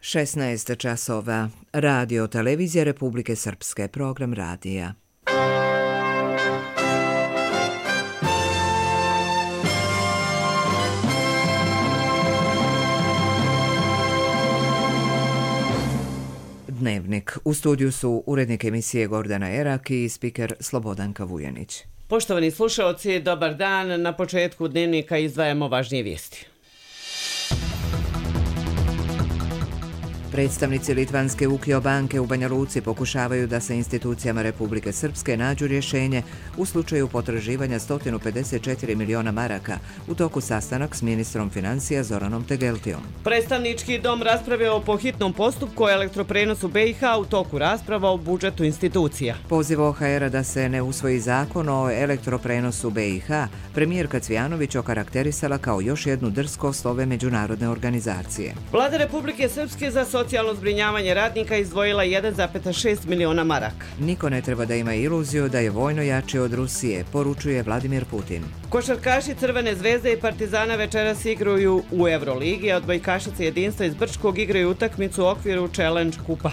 16 časova. Radio Televizija Republike Srpske. Program radija. Dnevnik. U studiju su urednik emisije Gordana Erak i spiker Slobodanka Vujanić. Poštovani slušaoci, dobar dan. Na početku dnevnika izdvajamo važnije vijesti. Predstavnici Litvanske Ukio banke u Banja Luci pokušavaju da se institucijama Republike Srpske nađu rješenje u slučaju potraživanja 154 miliona maraka u toku sastanak s ministrom financija Zoranom Tegeltijom. Predstavnički dom raspravljao po hitnom postupku o elektroprenosu BiH u toku rasprava o budžetu institucija. Poziv OHR-a da se ne usvoji zakon o elektroprenosu BiH, premijerka Cvijanović okarakterisala kao još jednu drskost ove međunarodne organizacije. Vlada Republike Srpske za socijalno zbrinjavanje radnika izdvojila 1,6 miliona maraka. Niko ne treba da ima iluziju da je vojno jači od Rusije, poručuje Vladimir Putin. Košarkaši Crvene zvezde i Partizana večeras igraju u Euroligi, a odbojkašice Jedinstva iz Brčkog igraju utakmicu u okviru Challenge kupa.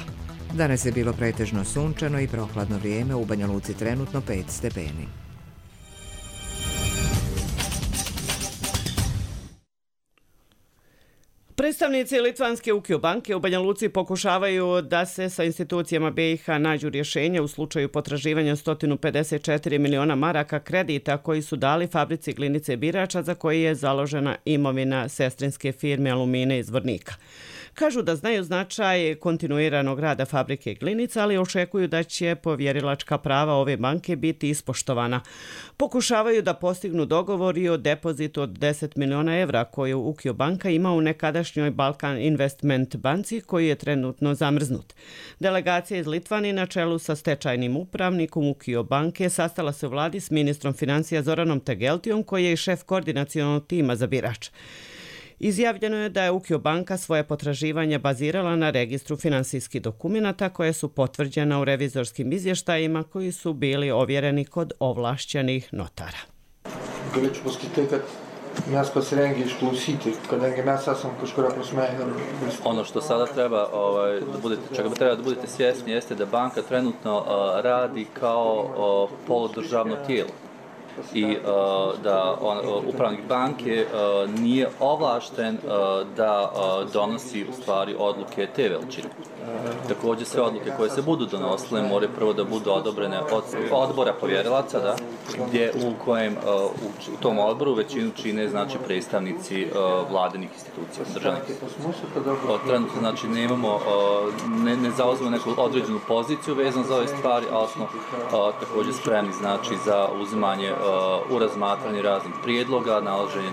Danas je bilo pretežno sunčano i prohladno vrijeme, u Banja Luci trenutno 5 stepeni. Predstavnici Litvanske Ukio banke u Banja Luci pokušavaju da se sa institucijama BiH nađu rješenja u slučaju potraživanja 154 miliona maraka kredita koji su dali fabrici Glinice Birača za koji je založena imovina sestrinske firme Alumine iz Vornika. Kažu da znaju značaj kontinuiranog rada fabrike Glinica, ali očekuju da će povjerilačka prava ove banke biti ispoštovana. Pokušavaju da postignu dogovor i o depozitu od 10 miliona evra koju Ukio banka ima u nekadašnjoj Balkan Investment banci koji je trenutno zamrznut. Delegacija iz Litvani na čelu sa stečajnim upravnikom Ukio banke sastala se u vladi s ministrom financija Zoranom Tegeltijom koji je i šef koordinacionog tima za Birač. Izjavljeno je da je Ukio banka svoje potraživanja bazirala na registru finansijskih dokumenata koje su potvrđena u revizorskim izvještajima koji su bili ovjereni kod ovlašćenih notara. Ono što sada treba čega treba da budete svjesni jeste da banka trenutno radi kao poludržavno tijelo i da upravnik banke nije ovlašten da donosi u stvari odluke te veličine. Također sve odluke koje se budu donosile moraju prvo da budu odobrene od odbora povjerilaca, gdje u kojem u tom odboru većinu čine znači predstavnici vladinih institucija, državnih institucija. Trenutno znači ne zauzimo neku određenu poziciju vezano za ove stvari, ali smo također spremni znači za uzimanje u razmatranje raznih prijedloga, nalaženje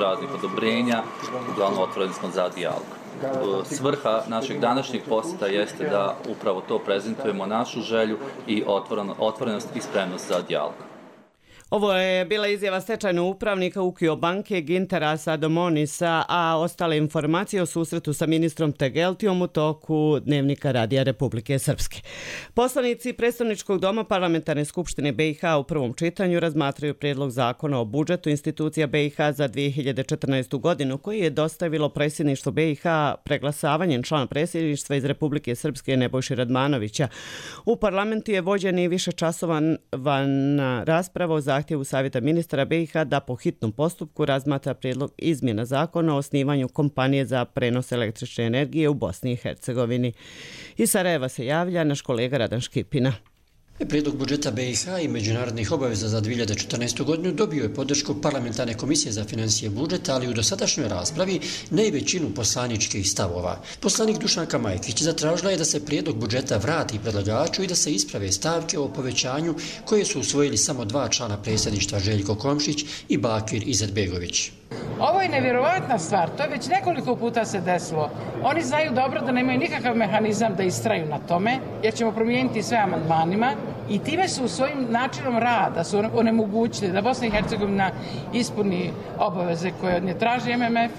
raznih odobrenja, uglavnom otvoreni smo za dijalog. Svrha našeg današnjeg posjeta jeste da upravo to prezentujemo našu želju i otvorenost i spremnost za dijalog. Ovo je bila izjava stečajnog upravnika Ukio banke Gintera Sadomonisa, a ostale informacije o susretu sa ministrom Tegeltijom u toku dnevnika Radija Republike Srpske. Poslanici Predstavničkog doma Parlamentarne skupštine BiH u prvom čitanju razmatraju prijedlog zakona o budžetu institucija BiH za 2014. godinu koji je dostavilo predsjedništvo BiH preglasavanjem člana predsjedništva iz Republike Srpske Nebojše Radmanovića. U parlamentu je vođen i višečasovan rasprava o zahtjevu Savjeta ministara BiH da po hitnom postupku razmatra prijedlog izmjena zakona o osnivanju kompanije za prenos električne energije u Bosni i Hercegovini. Iz Sarajeva se javlja naš kolega Radan Škipina. Prijedlog budžeta BiH i međunarodnih obaveza za 2014. godinu dobio je podršku Parlamentarne komisije za financije budžeta, ali u dosadašnjoj raspravi ne i većinu poslaničkih stavova. Poslanik Dušanka Majkić zatražila je da se prijedlog budžeta vrati predlagaču i da se isprave stavke o povećanju koje su usvojili samo 2 člana predsjedništva, Željko Komšić i Bakir Izetbegović. Ovo je nevjerovatna stvar, to je već nekoliko puta se desilo. Oni znaju dobro da nemaju nikakav mehanizam da istraju na tome, jer ćemo promijeniti sve amandmanima i time su svojim načinom rada su onemogućili da Bosna i Hercegovina ispuni obaveze koje od nje traži MMF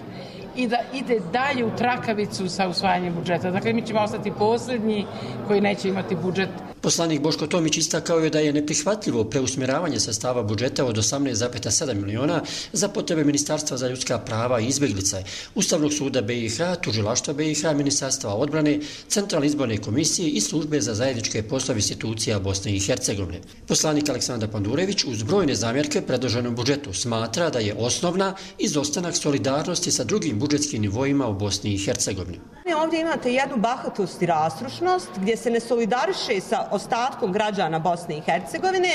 i da ide dalje u trakavicu sa usvajanjem budžeta. Dakle, mi ćemo ostati posljednji koji neće imati budžet. Poslanik Boško Tomić istakao je da je neprihvatljivo preusmjeravanje sredstava budžeta od 18,7 miliona za potrebe Ministarstva za ljudska prava i izbjeglice, Ustavnog suda BiH, Tužilaštva BiH, Ministarstva odbrane, Centralne izborne komisije i Službe za zajedničke poslove institucija Bosne i Hercegovine. Poslanik Aleksandar Pandurević uz brojne zamjerke predloženom budžetu smatra da je osnovna izostanak solidarnosti sa drugim budžetskim nivoima u Bosni i Hercegovini. Ovdje imate jednu bahatost i rastrošnost gdje se ne solidariše sa ostatkom građana Bosne i Hercegovine.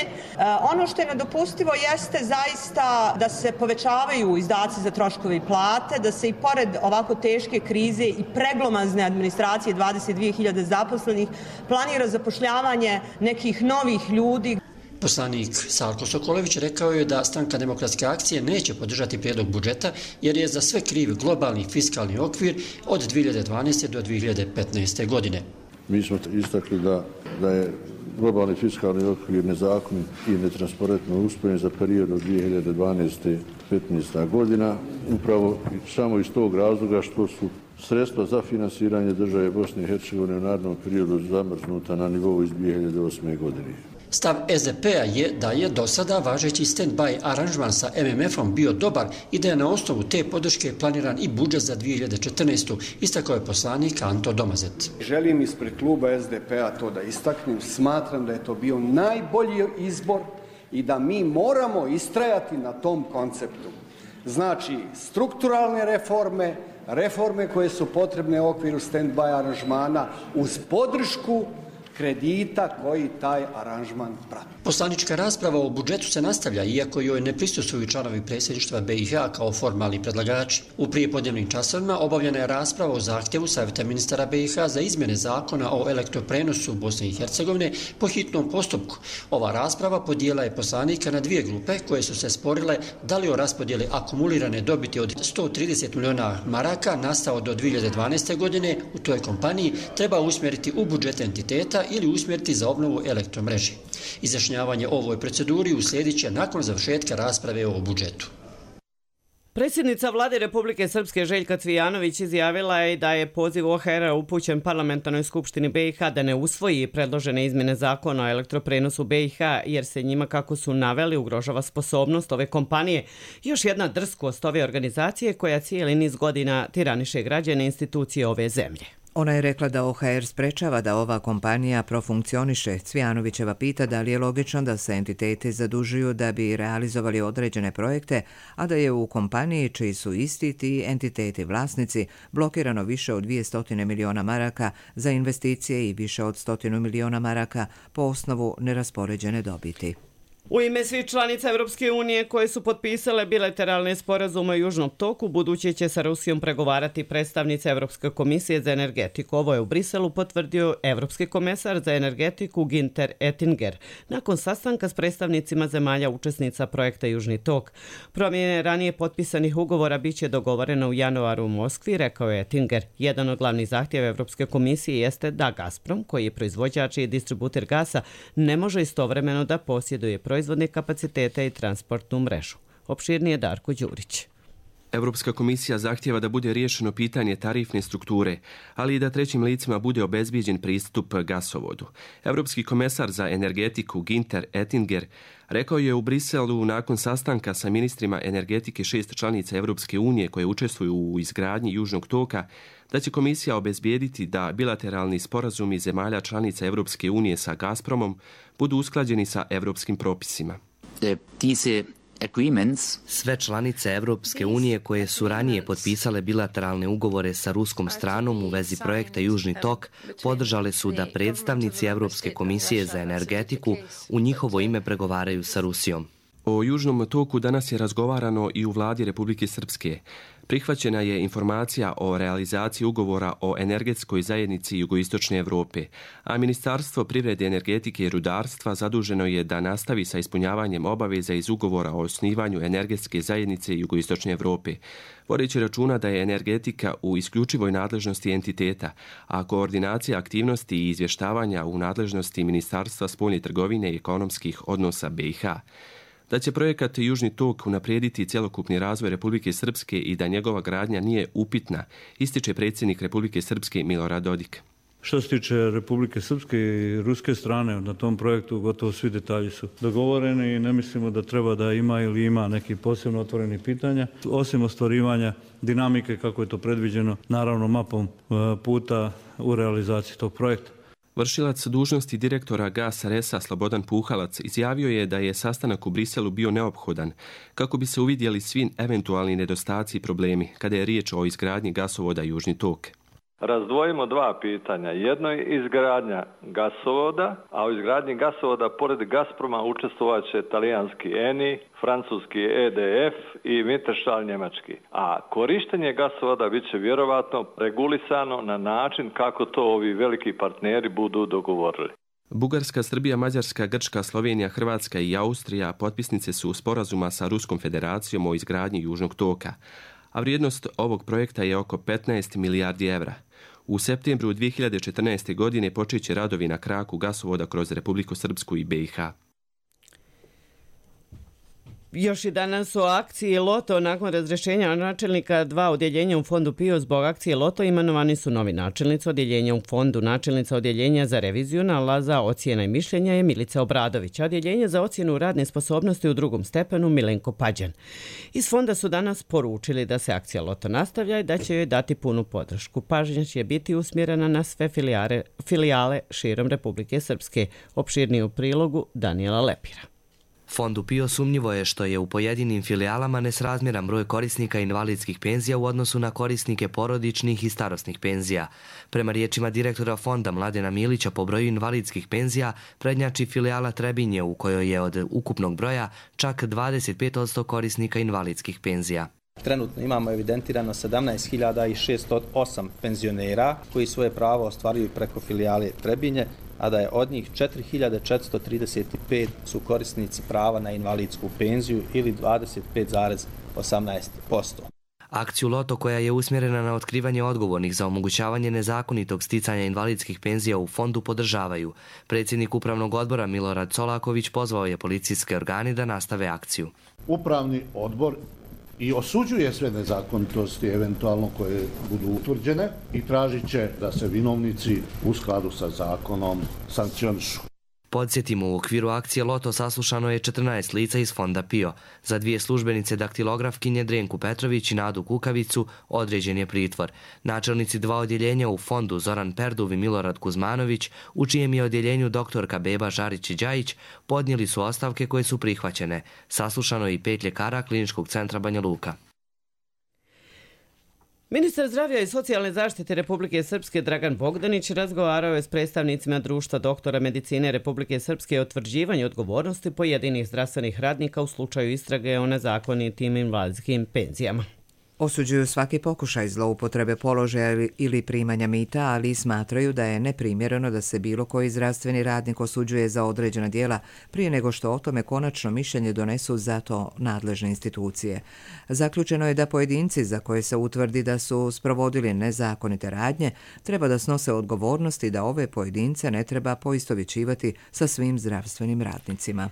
Ono što je nedopustivo jeste zaista da se povećavaju izdaci za troškove i plate, da se i pored ovako teške krize i preglomazne administracije 22.000 zaposlenih planira zapošljavanje nekih novih ljudi. Poslanik Salko Sokolević rekao je da Stranka demokratske akcije neće podržati prijedlog budžeta jer je za sve kriv globalni fiskalni okvir od 2012. do 2015. godine. Mi smo istakli da je globalni fiskalni okvir nezakonit i netransparentno uspojen za period od 2012-2015. godina, upravo samo iz tog razloga što su sredstva za finansiranje države Bosne i Hercegovine u narednom periodu zamrznuta na nivou iz 2008. godine. Stav SDP-a je da je do sada važeći stand-by aranžman sa MMF-om bio dobar i da je na osnovu te podrške planiran i budžet za 2014. Istakao je poslanik Anto Domazet. Želim ispred kluba SDP-a to da istaknem. Smatram da je to bio najbolji izbor i da mi moramo istrajati na tom konceptu. Znači, strukturalne reforme, reforme koje su potrebne u okviru stand-by aranžmana uz podršku kredita koji taj aranžman prati. Poslanička rasprava o budžetu se nastavlja, iako joj ne prisustvuju članovi predsjedništva BiH kao formalni predlagači. U prijepodnevnim časovima obavljena je rasprava o zahtjevu Savjeta ministara BiH za izmjene zakona o elektroprenosu Bosne i Hercegovine po hitnom postupku. Ova rasprava podijela je poslanika na dvije grupe koje su se sporile da li o raspodjeli akumulirane dobiti od 130 miliona maraka nastao do 2012. godine u toj kompaniji treba usmjeriti u budžet entiteta ili usmjeriti za obnovu elektromreže. Izjašnjavanje o ovoj proceduri uslijedit će nakon završetka rasprave o budžetu. Predsjednica Vlade Republike Srpske Željka Cvijanović izjavila je da je poziv OHR-a upućen Parlamentarnoj skupštini BiH da ne usvoji predložene izmjene zakona o elektroprenosu BiH jer se njima, kako su naveli, ugrožava sposobnost ove kompanije. Još jedna drskost ove organizacije koja cijeli niz godina tiraniše građane institucije ove zemlje. Ona je rekla da OHR sprečava da ova kompanija profunkcioniše. Cvijanovićeva pita da li je logično da se entiteti zadužuju da bi realizovali određene projekte, a da je u kompaniji čiji su isti ti entiteti vlasnici blokirano više od 200 miliona maraka za investicije i više od 100 miliona maraka po osnovu neraspoređene dobiti. U ime svih članica Europske unije koje su potpisale bilateralne sporazume o Južnom toku, buduće će sa Rusijom pregovarati predstavnica Europske komisije za energetiku. Ovo je u Briselu potvrdio Evropski komesar za energetiku Günther Oettinger nakon sastanka s predstavnicima zemalja učesnica projekta Južni tok. Promjene ranije potpisanih ugovora biće dogovoreno u januaru u Moskvi, rekao je Oettinger. Jedan od glavnih zahtjeva Evropske komisije jeste da Gazprom, koji je proizvođač i distributer gasa, ne može istovremeno da posjeduje proizvodne kapacitete i transportnu mrežu. Opširnije Darko Đurić. Europska komisija zahtjeva da bude riješeno pitanje tarifne strukture, ali i da trećim licima bude obezbijeđen pristup gasovodu. Europski komesar za energetiku Günther Oettinger rekao je u Briselu nakon sastanka sa ministrima energetike 6 članica Europske unije koje učestvuju u izgradnji Južnog toka da će komisija obezbijediti da bilateralni sporazumi zemalja članica Europske unije sa Gazpromom budu usklađeni sa europskim propisima. Sve članice Europske unije koje su ranije potpisale bilateralne ugovore sa ruskom stranom u vezi projekta Južni tok podržale su da predstavnici Europske komisije za energetiku u njihovo ime pregovaraju sa Rusijom. O Južnom toku danas je razgovarano i u vladi Republike Srpske. Prihvaćena je informacija o realizaciji ugovora o energetskoj zajednici Jugoistočne Evrope, a Ministarstvo privrede, energetike i rudarstva zaduženo je da nastavi sa ispunjavanjem obaveza iz ugovora o osnivanju energetske zajednice Jugoistočne Evrope, vodeći računa da je energetika u isključivoj nadležnosti entiteta, a koordinacija aktivnosti i izvještavanja u nadležnosti Ministarstva spoljne trgovine i ekonomskih odnosa BiH. Da će projekat Južni tok unaprijediti cjelokupni razvoj Republike Srpske i da njegova gradnja nije upitna, ističe predsjednik Republike Srpske Milorad Dodik. Što se tiče Republike Srpske i ruske strane, na tom projektu gotovo svi detalji su dogovoreni i ne mislimo da treba da ima ili ima neki posebno otvoreni pitanja. Osim ostvarivanja dinamike kako je to predviđeno, naravno mapom puta u realizaciji tog projekta. Vršilac dužnosti direktora GAS RS-a Slobodan Puhalac izjavio je da je sastanak u Briselu bio neophodan kako bi se uvidjeli svi eventualni nedostaci i problemi kada je riječ o izgradnji gasovoda Južni tok. Razdvojimo dva pitanja. Jedno je izgradnja gasovoda, a u izgradnji gasovoda pored Gazproma učestvovat će talijanski ENI, francuski EDF i Mittelstahl njemački. A korištenje gasovoda bit će vjerovatno regulisano na način kako to ovi veliki partneri budu dogovorili. Bugarska, Srbija, Mađarska, Grčka, Slovenija, Hrvatska i Austrija potpisnice su sporazuma sa Ruskom federacijom o izgradnji Južnog toka, a vrijednost ovog projekta je oko 15 milijardi evra. U septembru 2014. godine počeće radovi na kraku gasovoda kroz Republiku Srpsku i BiH. Još i danas u akciji Loto nakon razrješenja načelnika 2 odjeljenja u fondu PIO zbog akcije Loto imenovani su novi načelnici odjeljenja u fondu. Načelnica odjeljenja za reviziju nalaza ocjena i mišljenja je Milica Obradović, a odjeljenje za ocjenu radne sposobnosti u 2. stepenu Milenko Pađan. Iz fonda su danas poručili da se akcija Loto nastavlja i da će joj dati punu podršku. Pažnja će biti usmjerena na sve filijale širom Republike Srpske. Opširnije u prilogu Daniela Lepira. Fondu PIO sumnjivo je što je u pojedinim filijalama nesrazmjeran broj korisnika invalidskih penzija u odnosu na korisnike porodičnih i starosnih penzija. Prema riječima direktora fonda Mladena Milića, po broju invalidskih penzija prednjači filijala Trebinje u kojoj je od ukupnog broja čak 25% korisnika invalidskih penzija. Trenutno imamo evidentirano 17.608 penzionera koji svoje pravo ostvaruju preko filijale Trebinje, a da je od njih 4.435 su korisnici prava na invalidsku penziju ili 25,18%. Akciju Loto, koja je usmjerena na otkrivanje odgovornih za omogućavanje nezakonitog sticanja invalidskih penzija u fondu, podržavaju. Predsjednik Upravnog odbora Milorad Solaković pozvao je policijske organe da nastave akciju. Upravni odbor i osuđuje sve nezakonitosti eventualno koje budu utvrđene i tražit će da se vinovnici u skladu sa zakonom sankcionišu. Podsjetimo, u okviru akcije Loto saslušano je 14 lica iz fonda PIO. Za 2 službenice daktilografkinje Drenku Petrović i Nadu Kukavicu određen je pritvor. Načelnici 2 odjeljenja u fondu Zoran Perduv i Milorad Kuzmanović, u čijem je odjeljenju doktorka Beba Žarić i Đajić, podnijeli su ostavke koje su prihvaćene. Saslušano je i 5 ljekara Kliničkog centra Banja Luka. Ministar zdravlja i socijalne zaštite Republike Srpske Dragan Bogdanić razgovarao je s predstavnicima Društva doktora medicine Republike Srpske o utvrđivanju odgovornosti pojedinih zdravstvenih radnika u slučaju istrage o nezakonitim invalidskim penzijama. Osuđuju svaki pokušaj zloupotrebe položaja ili primanja mita, ali smatraju da je neprimjereno da se bilo koji zdravstveni radnik osuđuje za određena djela prije nego što o tome konačno mišljenje donesu za to nadležne institucije. Zaključeno je da pojedinci za koje se utvrdi da su sprovodili nezakonite radnje treba da snose odgovornost i da ove pojedince ne treba poistovjećivati sa svim zdravstvenim radnicima.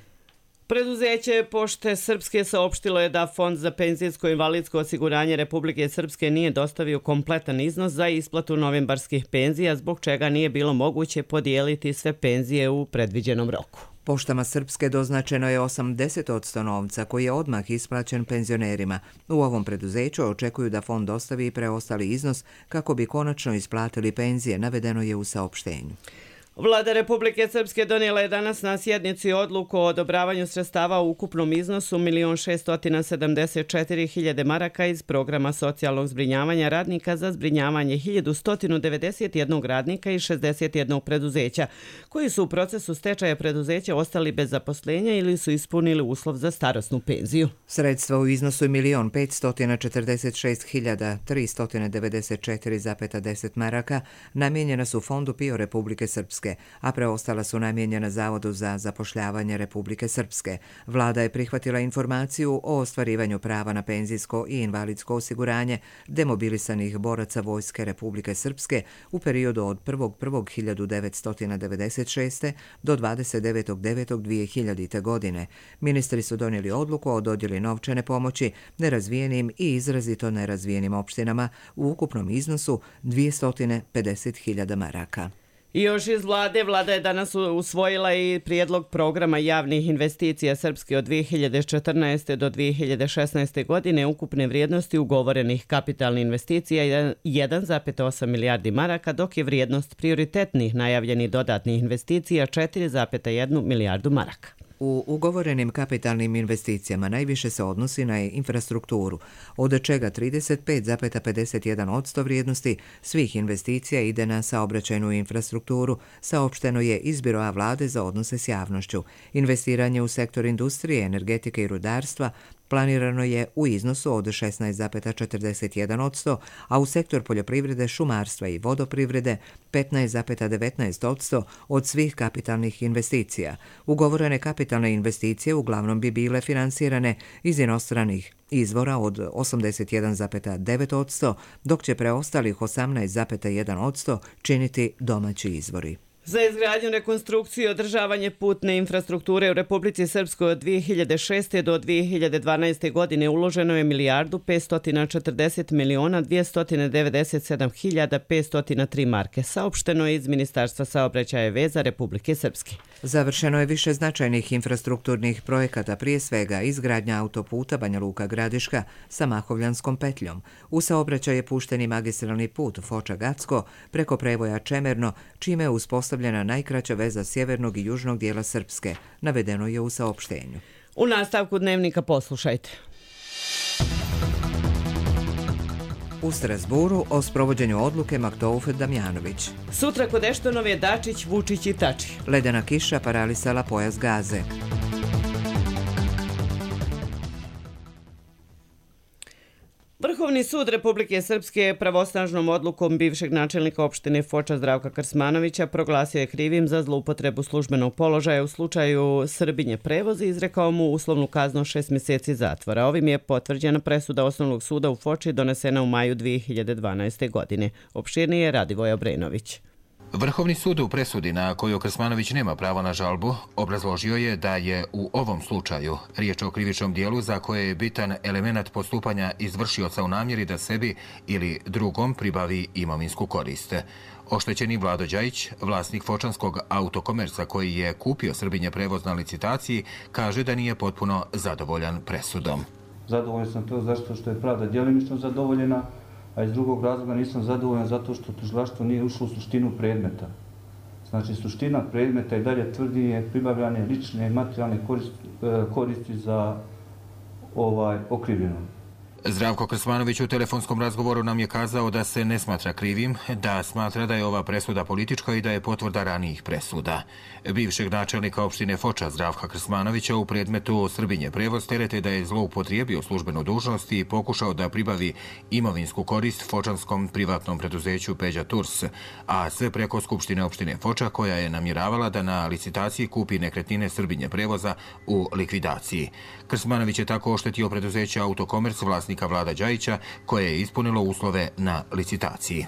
Preduzeće Pošte Srpske saopštilo je da Fond za penzijsko i invalidsko osiguranje Republike Srpske nije dostavio kompletan iznos za isplatu novembarskih penzija, zbog čega nije bilo moguće podijeliti sve penzije u predviđenom roku. Poštama Srpske doznačeno je 80% novca koji je odmah isplaćen penzionerima. U ovom preduzeću očekuju da fond dostavi preostali iznos kako bi konačno isplatili penzije, navedeno je u saopštenju. Vlada Republike Srpske donijela je danas na sjednici odluku o odobravanju sredstava u ukupnom iznosu 1.674.000 maraka iz programa socijalnog zbrinjavanja radnika za zbrinjavanje 1.191 radnika i 61 preduzeća, koji su u procesu stečaja preduzeća ostali bez zaposlenja ili su ispunili uslov za starosnu penziju. Sredstva u iznosu 1.546.394,10 maraka namijenjena su Fondu PIO Republike Srpske, a preostala su namijenjena Zavodu za zapošljavanje Republike Srpske. Vlada je prihvatila informaciju o ostvarivanju prava na penzijsko i invalidsko osiguranje demobilisanih boraca Vojske Republike Srpske u periodu od 1.1.1996. do 29.9.2000. godine. Ministri su donijeli odluku o dodjeli novčane pomoći nerazvijenim i izrazito nerazvijenim opštinama u ukupnom iznosu 250.000 maraka. I još iz vlade, vlada je danas usvojila i prijedlog programa javnih investicija Srpske od 2014. do 2016. godine ukupne vrijednosti ugovorenih kapitalnih investicija 1,8 milijardi maraka, dok je vrijednost prioritetnih najavljenih dodatnih investicija 4,1 milijardu maraka. U ugovorenim kapitalnim investicijama najviše se odnosi na infrastrukturu, od čega 35,51% vrijednosti svih investicija ide na saobraćajnu infrastrukturu, saopšteno je iz Biroa vlade za odnose s javnošću. Investiranje u sektor industrije, energetike i rudarstva planirano je u iznosu od 16,41%, a u sektor poljoprivrede, šumarstva i vodoprivrede 15,19% od svih kapitalnih investicija. Ugovorene kapitalne investicije uglavnom bi bile finansirane iz inostranih izvora od 81,9%, dok će preostalih 18,1% činiti domaći izvori. Za izgradnju, rekonstrukciju i održavanje putne infrastrukture u Republici Srpskoj od 2006. do 2012. godine uloženo je 1.540.297.503 marke, saopšteno je iz Ministarstva saobraćaja i veza Republike Srpske. Završeno je više značajnih infrastrukturnih projekata, prije svega izgradnja autoputa Banja Luka-Gradiška sa Mahovljanskom petljom. U saobraćaj je pušten i magistralni put Foča-Gacko preko prevoja Čemerno, čime je uspostavljena najkraća veza sjevernog i južnog dijela Srpske, navedeno je u saopštenju. U nastavku dnevnika poslušajte. U Strasburu o sprovođenju odluke Maktouf-Damjanović. Sutra kod Eštonove Dačić, Vučić i Tači. Ledena kiša paralisala pojas Gaze. Vrhovni sud Republike Srpske pravosnažnom odlukom bivšeg načelnika opštine Foča Zdravka Krsmanovića proglasio je krivim za zloupotrebu službenog položaja u slučaju Srbinje prevozi i izrekao mu uslovnu kaznu 6 mjeseci zatvora. Ovim je potvrđena presuda Osnovnog suda u Foči donesena u maju 2012. godine. Opširnije Radivoj Obrenović. Vrhovni sud u presudi na koju Krsmanović nema pravo na žalbu obrazložio je da je u ovom slučaju riječ o krivičnom dijelu za koje je bitan element postupanja izvršioca u namjeri da sebi ili drugom pribavi imovinsku korist. Oštećeni Vlado Đajić, vlasnik fočanskog autokomerca koji je kupio Srbinje prevoz na licitaciji, kaže da nije potpuno zadovoljan presudom. Zadovoljan sam to zašto što je pravda djelimično zadovoljena, a iz drugog razloga nisam zadovoljan zato što tužilaštvo nije ušlo u suštinu predmeta. Znači, suština predmeta i dalje tvrdi je pribavljanje lične i materijalne koristi za okrivljenog. Zdravko Krsmanović u telefonskom razgovoru nam je kazao da se ne smatra krivim, da smatra da je ova presuda politička i da je potvrda ranijih presuda. Bivšeg načelnika opštine Foča Zdravka Krsmanovića u predmetu Srbinje prevoz terete da je zloupotrijebio službenu dužnost i pokušao da pribavi imovinsku korist fočanskom privatnom preduzeću Peđa Tours, a sve preko Skupštine opštine Foča koja je namjeravala da na licitaciji kupi nekretnine Srbinje prevoza u likvidaciji. Krsmanović je tako oštetio preduzeće Autokomerc vlasnika Vlada Đajića koje je ispunilo uslove na licitaciji.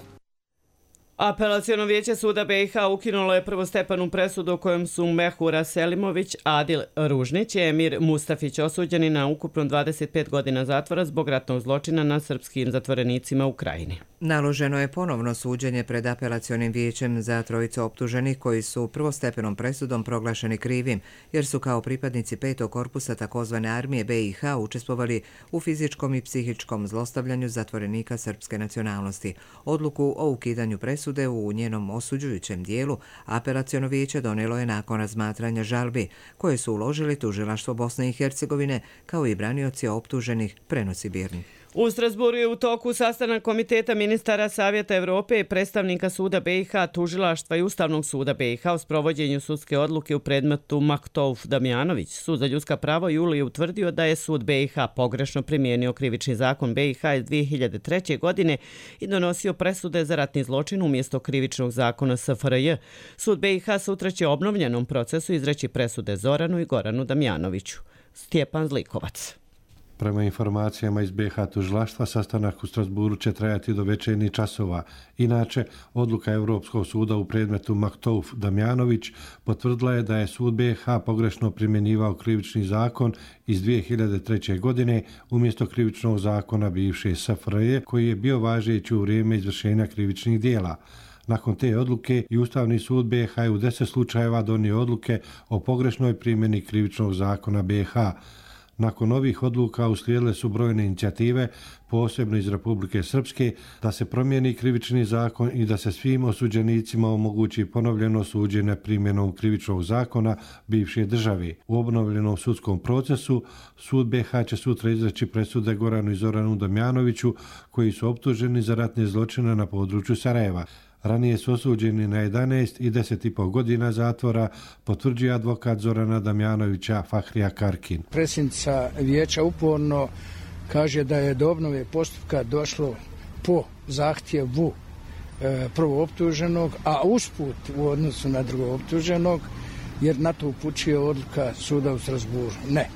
Apelaciono vijeće suda BiH ukinulo je prvostepenu presudu u kojem su Mehura Selimović, Adil Ružnić i Emir Mustafić osuđeni na ukupno 25 godina zatvora zbog ratnog zločina nad srpskim zatvorenicima u Krajini. Naloženo je ponovno suđenje pred apelacionim vijećem za trojicu optuženih koji su prvostepenom presudom proglašeni krivim, jer su kao pripadnici 5. korpusa takozvane armije BiH učestvovali u fizičkom i psihičkom zlostavljanju zatvorenika srpske nacionalnosti. Odluku o ukidanju presude u njenom osuđujućem dijelu apelaciono vijeće donijelo je nakon razmatranja žalbi koje su uložili tužilaštvo Bosne i Hercegovine kao i branioci optuženih, prenosi Birni. U Strasburu je u toku sastanak Komiteta ministara Savjeta Evrope i predstavnika suda BiH, tužilaštva i Ustavnog suda BiH o sprovođenju sudske odluke u predmetu Maktouf-Damjanović. Sud za ljudska prava juli je utvrdio da je sud BiH pogrešno primijenio krivični zakon BiH iz 2003. godine i donosio presude za ratni zločin umjesto krivičnog zakona SFRJ. Sud BiH sutra će obnovljenom procesu izreći presude Zoranu i Goranu Damjanoviću. Stjepan Zlikovac. Prema informacijama iz BiH tužilaštva, sastanak u Strasburu će trajati do večernjih časova. Inače, odluka Europskog suda u predmetu Maktouf-Damjanović potvrdila je da je sud BiH pogrešno primjenjivao krivični zakon iz 2003. godine umjesto krivičnog zakona bivše SFRJ koji je bio važeći u vrijeme izvršenja krivičnih dijela. Nakon te odluke i Ustavni sud BiH je u 10 slučajeva donio odluke o pogrešnoj primjeni krivičnog zakona BiH. Nakon ovih odluka uslijedile su brojne inicijative, posebno iz Republike Srpske, da se promijeni krivični zakon i da se svim osuđenicima omogući ponovljeno suđenje primjenom krivičnog zakona bivše države. U obnovljenom sudskom procesu sud BiH će sutra izreći presude Goranu i Zoranu Damjanoviću, koji su optuženi za ratne zločine na području Sarajeva. Ranije su osuđeni na 11 i 10,5 godina zatvora, potvrđuje advokat Zorana Damjanovića Fahrija Karkin. Predsjednica vijeća uporno kaže da je do obnove postupka došlo po zahtjevu prvo optuženog, a usput u odnosu na drugog optuženog, jer na to upućuje odluka suda u Strasburu. Ne.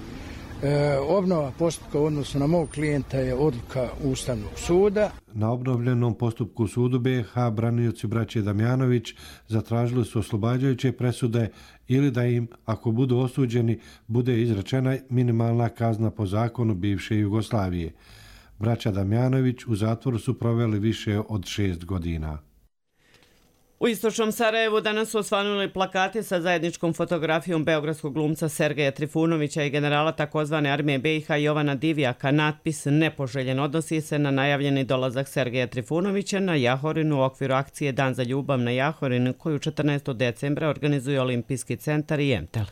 Obnova postupka u odnosu na mog klijenta je odluka Ustavnog suda. Na obnovljenom postupku sudu BiH branioci braće Damjanović zatražili su oslobađajuće presude ili da im, ako budu osuđeni, bude izrečena minimalna kazna po zakonu bivše Jugoslavije. Braća Damjanović u zatvoru su proveli više od 6 godina. U istočnom Sarajevu danas su osvanuli plakati sa zajedničkom fotografijom beogradskog glumca Sergeja Trifunovića i generala takozvane armije BiH Jovana Divjaka. Natpis nepoželjen odnosi se na najavljeni dolazak Sergeja Trifunovića na Jahorinu u okviru akcije Dan za ljubav na Jahorinu koju 14. decembra organizuje Olimpijski centar i Emtel.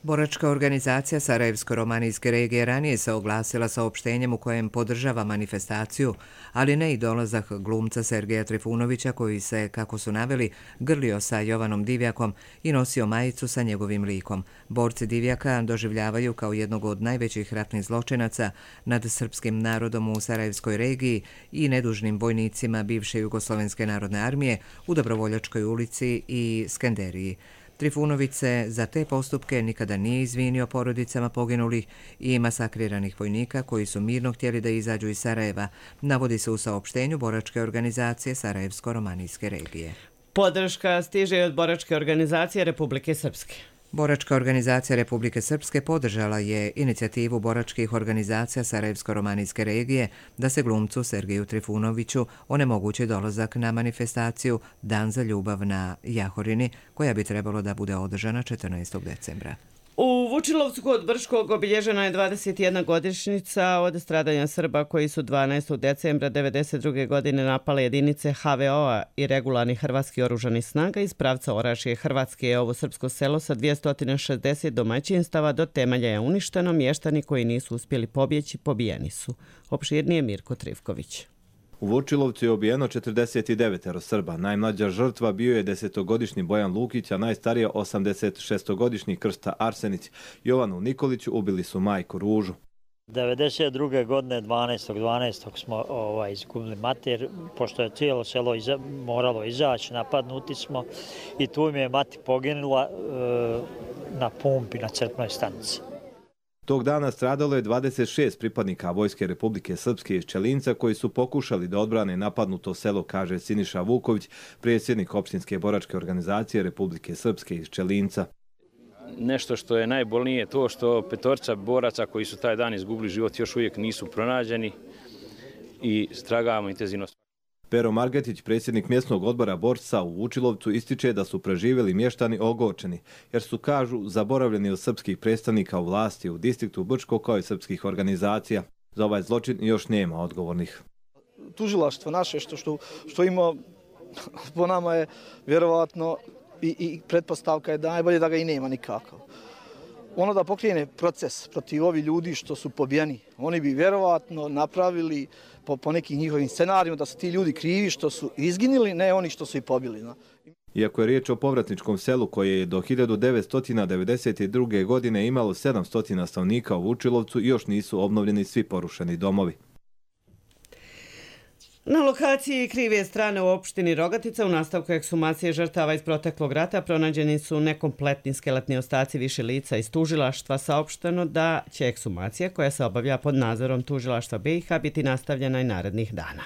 Boračka organizacija Sarajevsko-romanijske regije ranije se oglasila saopštenjem u kojem podržava manifestaciju, ali ne i dolazak glumca Sergeja Trifunovića koji se, kako su naveli, grlio sa Jovanom Divjakom i nosio majicu sa njegovim likom. Borci Divjaka doživljavaju kao jednog od najvećih ratnih zločinaca nad srpskim narodom u Sarajevskoj regiji i nedužnim vojnicima bivše Jugoslovenske narodne armije u Dobrovoljačkoj ulici i Skenderiji. Trifunović se za te postupke nikada nije izvinio porodicama poginulih i masakriranih vojnika koji su mirno htjeli da izađu iz Sarajeva, navodi se u saopštenju Boračke organizacije Sarajevsko-romanijske regije. Podrška stiže od Boračke organizacije Republike Srpske. Boračka organizacija Republike Srpske podržala je inicijativu boračkih organizacija Sarajevsko-romanijske regije da se glumcu Sergeju Trifunoviću onemogući dolazak na manifestaciju Dan za ljubav na Jahorini, koja bi trebalo da bude održana 14. decembra. U Vučilovcu kod Brškog obilježena je 21 godišnjica od stradanja Srba koji su 12. decembra 1992. godine napale jedinice HVO-a i regularnih hrvatskih oružanih snaga iz pravca Orašje Hrvatske. Ovo srpsko selo sa 260 domaćinstava do temelja je uništeno, mještani koji nisu uspjeli pobjeći pobijeni su. Opširnije Mirko Trivković. U Vučilovcu je ubijeno 49 Srba. Najmlađa žrtva bio je 10-godišnji Bojan Lukić, a najstarija 86-godišnji Krsta Arsenić. Jovanu Nikoliću ubili su majku Ružu. 1992. godine 12. smo izgubili mater, pošto je cijelo selo moralo izaći, napadnuti smo i tu mi je mati poginula na pumpi na crpnoj stanici. Tog dana stradalo je 26 pripadnika Vojske Republike Srpske iz Čelinca koji su pokušali da odbrane napadnuto selo, kaže Siniša Vuković, predsjednik opštinske boračke organizacije Republike Srpske iz Čelinca. Nešto što je najbolnije je to što petorca boraca koji su taj dan izgubili život još uvijek nisu pronađeni i stragamo intenzivno. Pero Margetić, predsjednik mjesnog odbora borca u Vučilovcu, ističe da su preživjeli mještani ogorčeni, jer su, kažu, zaboravljeni od srpskih predstavnika u vlasti u distriktu Brčko kao i srpskih organizacija. Za ovaj zločin još nema odgovornih. Tužilaštvo naše što ima po nama je vjerovatno i pretpostavka je da najbolje da ga i nema nikakav. Ono da pokrene proces protiv ovih ljudi što su pobijeni, oni bi vjerovatno napravili po nekim njihovim scenarijima da su ti ljudi krivi što su izginili, ne oni što su ih pobili. Iako je riječ o povratničkom selu koje je do 1992. godine imalo 700 stanovnika u Vučilovcu, još nisu obnovljeni svi porušeni domovi. Na lokaciji Krive strane u opštini Rogatica u nastavku ekshumacije žrtava iz proteklog rata pronađeni su nekompletni skeletni ostaci više lica iz tužilaštva. Saopšteno da će ekshumacija koja se obavlja pod nadzorom tužilaštva BiH biti nastavljena i narednih dana.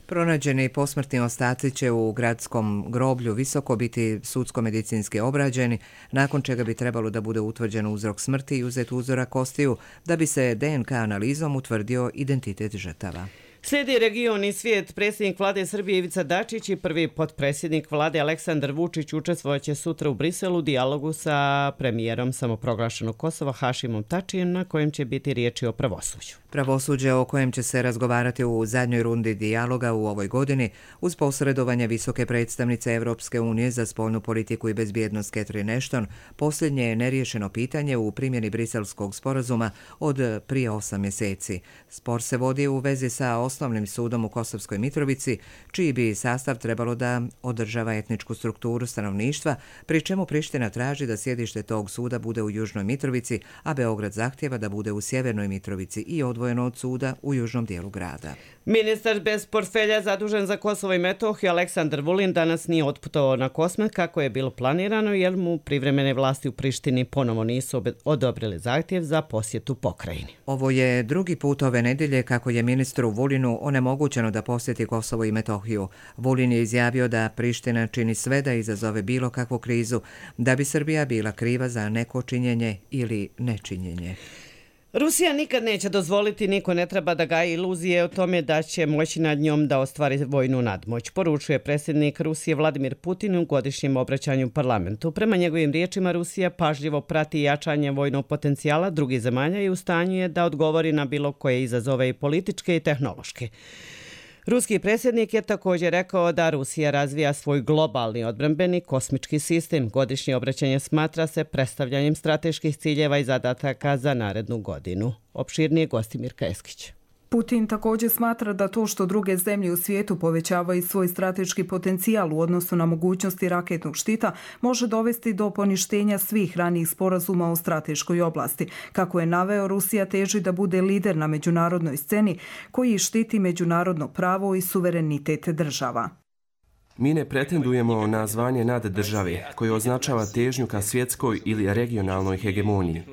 Pronađeni posmrtni ostaci će u gradskom groblju Visoko biti sudsko-medicinski obrađeni, nakon čega bi trebalo da bude utvrđen uzrok smrti i uzet uzorak kostiju da bi se DNK analizom utvrdio identitet žrtava. Slijedi region i svijet. Predsjednik vlade Srbije Ivica Dačić i prvi potpredsjednik vlade Aleksandar Vučić učestvovaće sutra u Briselu u dijalogu sa premijerom samoproglašenog Kosova Hašimom Tačijem, na kojem će biti riječi o pravosuđu. Pravosuđe o kojem će se razgovarati u zadnjoj rundi dijaloga u ovoj godini uz posredovanje visoke predstavnice Evropske unije za spoljnu politiku i bezbjednost Catherine Ashton, posljednje je neriješeno pitanje u primjeni briselskog sporazuma od prije 8 mjeseci. Spor se vodi u vezi sa osnovnim sudom u Kosovskoj Mitrovici, čiji bi sastav trebalo da održava etničku strukturu stanovništva, pri čemu Priština traži da sjedište tog suda bude u Južnoj Mitrovici, a Beograd zahtjeva da bude u Sjevernoj Mitrovici i odvojeno od suda u južnom dijelu grada. Ministar bez portfelja zadužen za Kosovo i Metohiju Aleksandar Vulin danas nije otputovao na Kosmet kako je bilo planirano, jer mu privremene vlasti u Prištini ponovo nisu odobrili zahtjev za posjetu pokrajini. Ovo je drugi put ove nedjelje kako je ministru Vulinu onemogućeno da posjeti Kosovo i Metohiju. Vulin je izjavio da Priština čini sve da izazove bilo kakvu krizu, da bi Srbija bila kriva za neko činjenje ili nečinjenje. Rusija nikad neće dozvoliti, niko ne treba da gaji iluzije o tome da će moći nad njom da ostvari vojnu nadmoć, poručuje predsjednik Rusije Vladimir Putin u godišnjem obraćanju parlamentu. Prema njegovim riječima, Rusija pažljivo prati jačanje vojnog potencijala drugih zemalja i u stanju je da odgovori na bilo koje izazove i političke i tehnološke. Ruski predsjednik je također rekao da Rusija razvija svoj globalni odbrambeni kosmički sistem. Godišnje obraćanje smatra se predstavljanjem strateških ciljeva i zadataka za narednu godinu. Opširnije Gostimir Keskić. Putin također smatra da to što druge zemlje u svijetu povećavaju svoj strateški potencijal u odnosu na mogućnosti raketnog štita može dovesti do poništenja svih ranijih sporazuma u strateškoj oblasti. Kako je naveo, Rusija teži da bude lider na međunarodnoj sceni koji štiti međunarodno pravo i suverenitet država. Mi ne pretendujemo na zvanje naddržave koje označava težnju ka svjetskoj ili regionalnoj hegemoniji.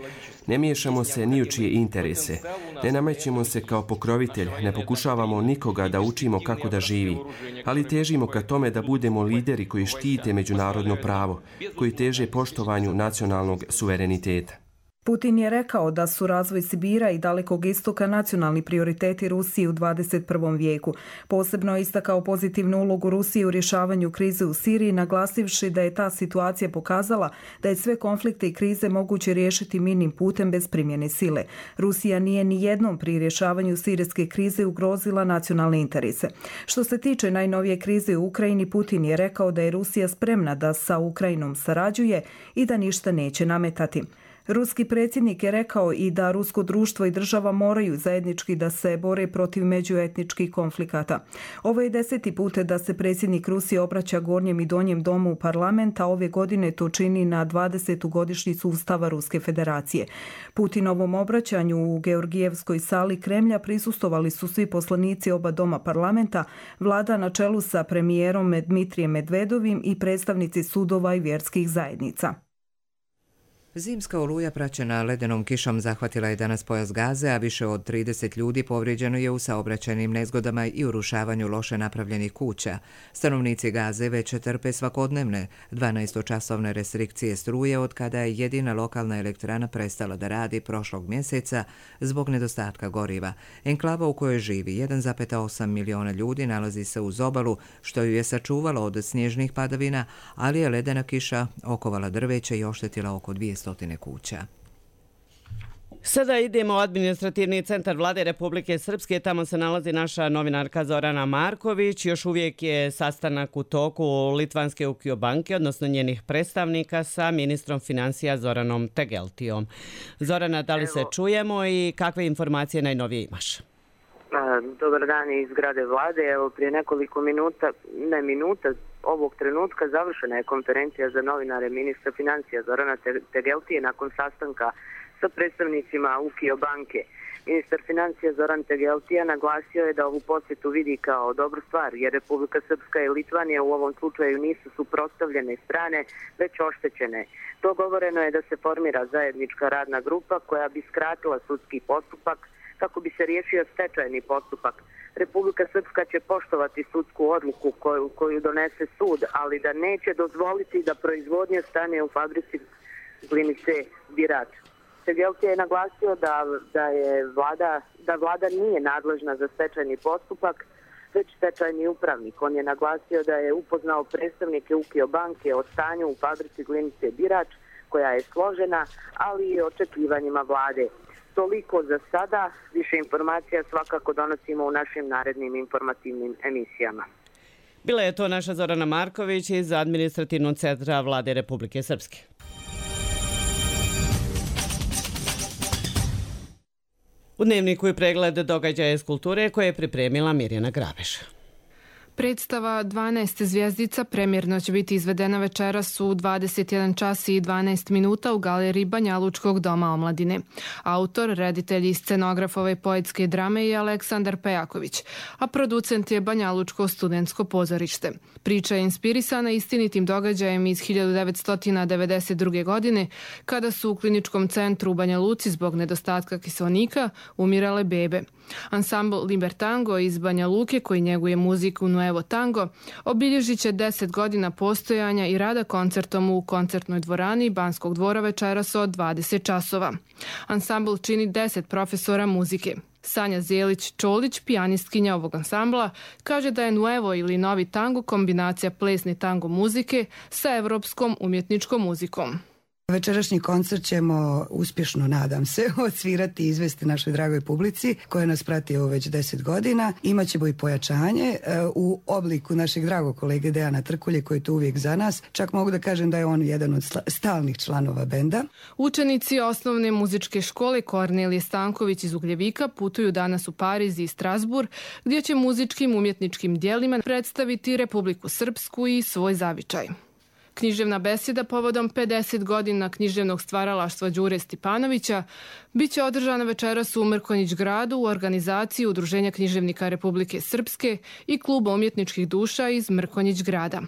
Ne miješamo se ni u čije interese, ne namećemo se kao pokrovitelj, ne pokušavamo nikoga da učimo kako da živi, ali težimo ka tome da budemo lideri koji štite međunarodno pravo, koji teže poštovanju nacionalnog suvereniteta. Putin je rekao da su razvoj Sibira i Dalekog istoka nacionalni prioriteti Rusije u 21. vijeku. Posebno je istakao pozitivnu ulogu Rusije u rješavanju krize u Siriji, naglasivši da je ta situacija pokazala da je sve konflikte i krize moguće riješiti mirnim putem bez primjene sile. Rusija nije ni jednom pri rješavanju sirijske krize ugrozila nacionalne interese. Što se tiče najnovije krize u Ukrajini, Putin je rekao da je Rusija spremna da sa Ukrajinom sarađuje i da ništa neće nametati. Ruski predsjednik je rekao i da rusko društvo i država moraju zajednički da se bore protiv međuetničkih konflikata. Ovo je 10. put da se predsjednik Rusije obraća gornjem i donjem domu parlamenta, ove godine to čini na 20. godišnjicu Ustava Ruske federacije. Putinovom obraćanju u Georgijevskoj sali Kremlja prisustvovali su svi poslanici oba doma parlamenta, vlada na čelu sa premijerom Dmitrijem Medvedovim i predstavnici sudova i vjerskih zajednica. Zimska oluja praćena ledenom kišom zahvatila je danas pojas Gaze, a više od 30 ljudi povrijeđeno je u saobraćajnim nezgodama i urušavanju loše napravljenih kuća. Stanovnici Gaze već trpe svakodnevne 12-časovne restrikcije struje od kada je jedina lokalna elektrana prestala da radi prošlog mjeseca zbog nedostatka goriva. Enklava u kojoj živi 1,8 miliona ljudi nalazi se uz obalu, što ju je sačuvalo od snježnih padavina, ali je ledena kiša okovala drveće i oštetila oko 200 kuća. Sada idemo u administrativni centar vlade Republike Srpske. Tamo se nalazi naša novinarka Zorana Marković. Još uvijek je sastanak u toku Litvanske Ukio banke, odnosno njenih predstavnika sa ministrom financija Zoranom Tegeltijom. Zorana, da li se čujemo i kakve informacije najnovije imaš? Dobar dan iz zgrade vlade. Evo, prije nekoliko minuta, ovog trenutka završena je konferencija za novinare ministra financija Zorana Tegeltije nakon sastanka sa predstavnicima Ukio banke. Ministar financija Zoran Tegeltija naglasio je da ovu posjetu vidi kao dobru stvar, jer Republika Srpska i Litvanija u ovom slučaju nisu suprotstavljene strane, već oštećene. Dogovoreno je da se formira zajednička radna grupa koja bi skratila sudski postupak kako bi se riješio stečajni postupak. Republika Srpska će poštovati sudsku odluku koju donese sud, ali da neće dozvoliti da proizvodnja stane u fabrici Glinice Birat. Tegeltije je naglasio da vlada nije nadležna za stečajni postupak, već stečajni upravnik. On je naglasio da je upoznao predstavnike UKIO banke o stanju u fabrici glinice Birač, koja je složena, ali i očekivanjima vlade. Toliko za sada, više informacija svakako donosimo u našim narednim informativnim emisijama. Bila je to naša Zorana Marković iz administrativnog centra Vlade Republike Srpske. U dnevniku je pregled događaja iz kulture koje je pripremila Mirjana Grabeš. Predstava 12 zvjezdica premjerno će biti izvedena večeras u 21 čas i 12 minuta u galeriji Banjalučkog doma omladine. Autor, reditelj i scenograf ove poetske drame je Aleksandar Pejaković, a producent je Banjalučko studentsko pozorište. Priča je inspirisana istinitim događajem iz 1992. godine, kada su u kliničkom centru u Banja Luci zbog nedostatka kiselnika umirale bebe. Ansambl Libertango iz Banja Luke, koji njeguje muziku Nuevo Tango, obilježit će 10 godina postojanja i rada koncertom u koncertnoj dvorani Banskog dvora večeras od 20 časova. Ansambl čini 10 profesora muzike. Sanja Zelić-Čolić, pijanistkinja ovog ansambla, kaže da je Nuevo ili novi tango kombinacija plesne tango muzike sa evropskom umjetničkom muzikom. Večerašnji koncert ćemo uspješno, nadam se, odsvirati i izvesti našoj dragoj publici koja nas prati ovo već 10 godina. Imaćemo i pojačanje u obliku našeg dragog kolege Dejana Trkulje koji je tu uvijek za nas. Čak mogu da kažem da je on jedan od stalnih članova benda. Učenici osnovne muzičke škole Kornelije Stanković iz Ugljevika putuju danas u Pariz i Strasbourg, gdje će muzičkim umjetničkim dijelima predstaviti Republiku Srpsku i svoj zavičaj. Književna besjeda povodom 50 godina književnog stvaralaštva Đure Stipanovića biće održana večeras u Mrkonjić gradu u organizaciji Udruženja književnika Republike Srpske i Kluba umjetničkih duša iz Mrkonjić grada.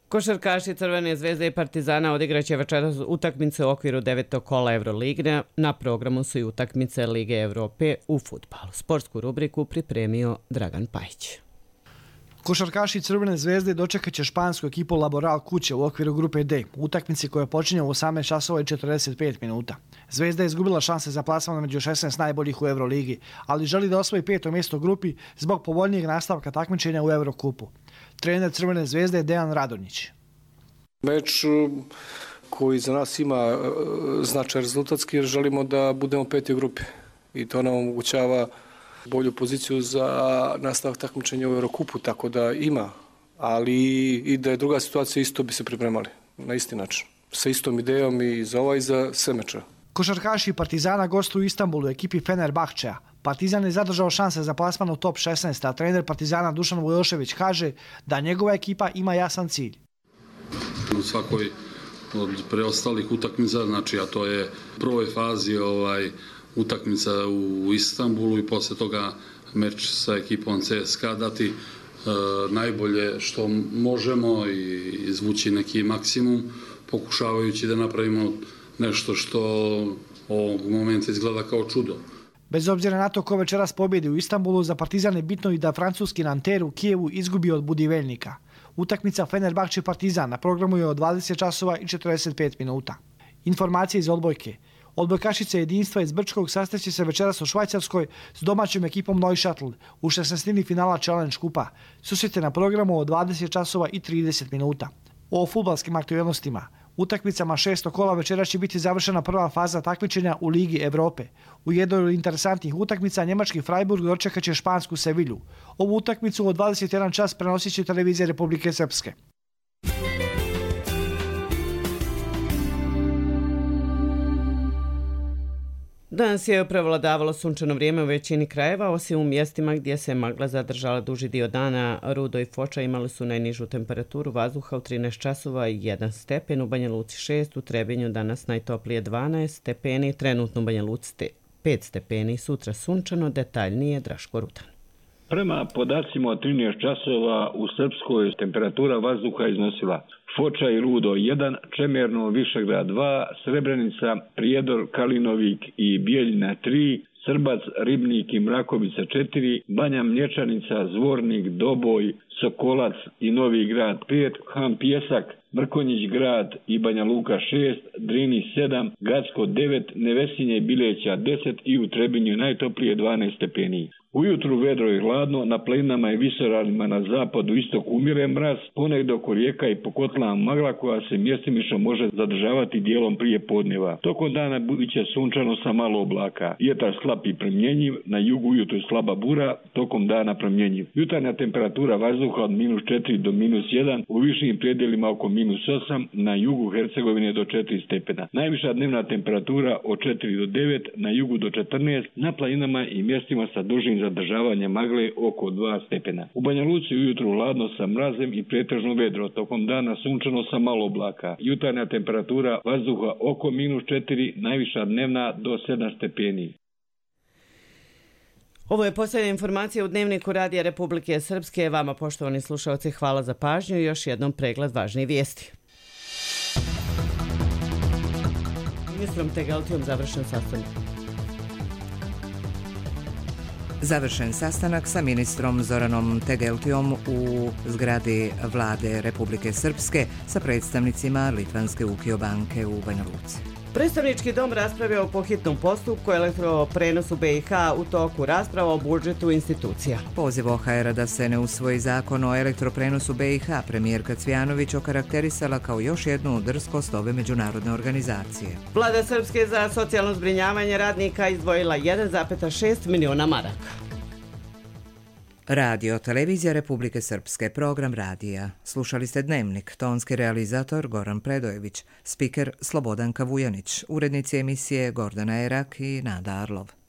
Košarkaši Crvene zvezde i Partizana odigraće večeras utakmice u okviru 9. kola Euroligne. Na programu su i utakmice Lige Evrope u fudbalu. Sportsku rubriku pripremio Dragan Pajić. Košarkaši Crvene zvezde dočekat će špansku ekipu Laboral kuće u okviru grupe D, utakmici koja počinje u 18 časova i 45 minuta. Zvezda je izgubila šanse za plasman među 16 najboljih u Euroligi, ali želi da osvoji 5. mjesto u grupi zbog povoljnijeg nastavka takmičenja u Eurokupu. Trener Crvene zvezde je Dejan Radonjić. Meč koji za nas ima značaj rezultatski jer želimo da budemo 5. u grupi i to nam omogućava bolju poziciju za nastavak takmičenja u Eurokupu, tako da ima, ali i da je druga situacija isto bi se pripremali na isti način, sa istom idejom i za ovaj i za sve meče. Košarkaši Partizana gostuju u Istanbulu u ekipi Fenerbahčeja. Partizan je zadržao šanse za plasman u top 16, a trener Partizana Dušan Vujošević kaže da njegova ekipa ima jasan cilj. U svakoj od preostalih utakmica, znači a to je u prvoj fazi utakmica u Istanbulu i posle toga meč sa ekipom CSKA dati najbolje što možemo i izvući neki maksimum, pokušavajući da napravimo nešto što ovog momenta izgleda kao čudo. Bez obzira na to ko večeras pobjedi u Istanbulu, za Partizan je bitno i da francuski Nanterre u Kijevu izgubi od Budivelnika. Utakmica Fenerbahče Partizan na programu je od 20 časova i 45 minuta. Informacije iz odbojke. Odbojkašice jedinstva iz Brčkog sastaće se večeras u Švajcarskoj s domaćom ekipom Neuchâtel u 16. finala Challenge kupa. Susret je na programu od 20 časova i 30 minuta. O fudbalskim aktualnostima. Utakmicama 6. kola večera će biti završena prva faza takmičenja u Ligi Evrope. U jednoj od interesantnih utakmica njemački Freiburg dočekat će špansku Sevilju. Ovu utakmicu od 21 čas prenosit će televizija Republike Srpske. Danas je prevladavalo sunčano vrijeme u većini krajeva, osim u mjestima gdje se magla zadržala duži dio dana. Rudo i Foča imali su najnižu temperaturu vazduha u 13 časova i 1 stepen, u Banja Luci 6, u Trebinju danas najtoplije 12 stepeni, trenutno u Banja Luci 5 stepeni, sutra sunčano, detaljnije Draško Rutan. Prema podacima od 13 časova u Srpskoj temperatura vazduha iznosila Foča i Rudo 1, Čemerno, Višegrad 2, Srebrenica, Prijedor, Kalinovik i Bijeljina 3, Srbac, Ribnik i Mrakovica 4, Banja Mlječanica, Zvornik, Doboj, Sokolac i Novi grad 5, Han Pjesak, Mrkonjić grad i Banja Luka 6, Drini 7, Gacko 9, Nevesinje i Bileća 10 i u Trebinju najtoplije 12 stepeni. Ujutru vedro i hladno, na planinama i visoravnima na zapadu istoku umire mraz, ponegdje oko rijeka i po kotlama magla koja se mjestimično može zadržavati dijelom prije podneva. Tokom dana biće sunčano sa malo oblaka. Vjetar slab i promjenjiv, na jugu ujutru slaba bura, tokom dana promjenjiv. Jutarnja temperatura vazduha od -4 do -1, u višim predjelima oko -8, na jugu Hercegovine do 4 stepena. Najviša dnevna temperatura od 4 do 9, na jugu do 14, na planinama i mjestima sa dužim zadržavanje magle oko 2 stepena. U Banja Luci ujutru hladno sa mrazem i pretežno vedro, tokom dana sunčano sa malo oblaka. Jutarnja temperatura vazduha oko -4, najviša dnevna do 7 stepeni. Ovo je posljednja informacija u Dnevniku Radija Republike Srpske. Vama, poštovani slušalci, hvala za pažnju i još jednom pregled važnih vijesti. Ministrom Tegeltijom završen sastanak. Završen sastanak sa ministrom Zoranom Tegeltijom u zgradi Vlade Republike Srpske sa predstavnicima Litvanske UKIO banke u Banja Luci. Predstavnički dom raspravljao po hitnom postupku elektroprenosu BiH u toku rasprava o budžetu institucija. Poziv OHR-a da se ne usvoji zakon o elektroprenosu BiH premijerka Cvjanović okarakterisala kao još jednu drskost ove međunarodne organizacije. Vlada Srpske za socijalno zbrinjavanje radnika izdvojila 1,6 miliona maraka. Radio Televizija Republike Srpske, program radija. Slušali ste Dnevnik, tonski realizator Goran Predojević, spiker Slobodanka Vujanić, urednici emisije Gordana Erak i Nada Arlov.